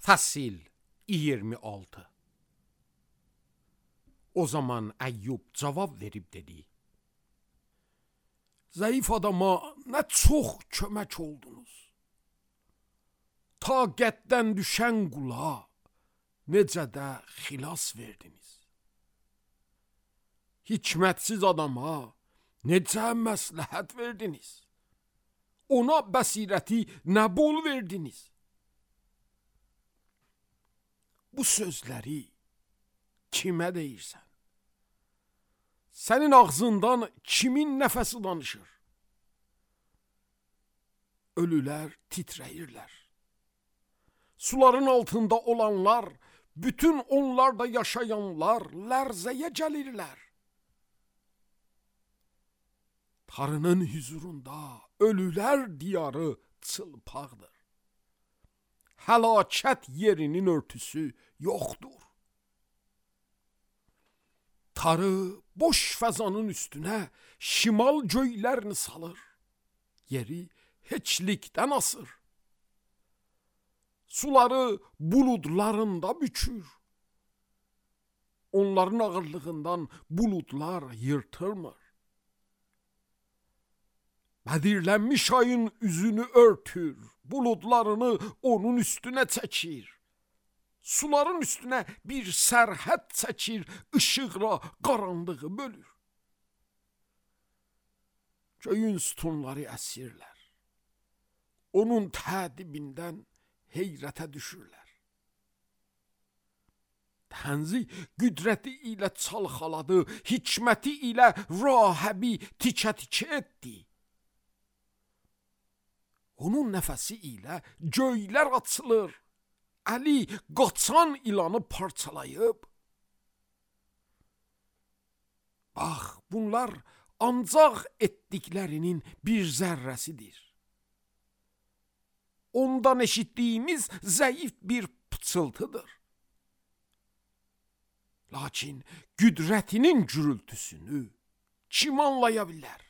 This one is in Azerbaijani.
Fəsil 26. O zaman Əyyub cavab verib dedi: Zəif adama nə çox kömək oldunuz. Taqətdən düşən qula necə də xilas verdiniz. Hikmətsiz adama necə məsləhət verdiniz. Ona bəsirəti nə bol verdiniz. Bu sözləri kimə deyirsən? Sənin ağzından kimin nəfəsi danışır? Ölülər titrəyirlər. Suların altında olanlar, bütün onlarda yaşayanlar lərzəyə gəlirlər. Tanrının huzurunda ölülər diyarı çılpaqdır. Həlakət yerinin örtüsü yoxdur. Tanrı boş fəzanın üstünə şimal göylərini salır. Yeri heçlikdən asır. Suları buludlarında bükür. Onların ağırlığından buludlar yırtılmır. Bədirlənmiş ayın üzünü örtür, buludlarını onun üstünə çəkir. Suların üstünə bir sərhəd çəkir, işıqla qaranlığı bölür. Göyün sütunları əsirlər. Onun tədibindən heyrətə düşürlər. Tənzi qüdrəti ilə çalxaladı, hikməti ilə rahəbi tikə-tikə etdi. Onun nəfəsi ilə göylər açılır. Əli qaçan ilanı parçalayıb. Bax, bunlar ancaq etdiklərinin bir zərrəsidir. Ondan eşitdiyimiz zəif bir pıçıltıdır. Lakin qüdrətinin gürültüsünü kim anlaya bilər?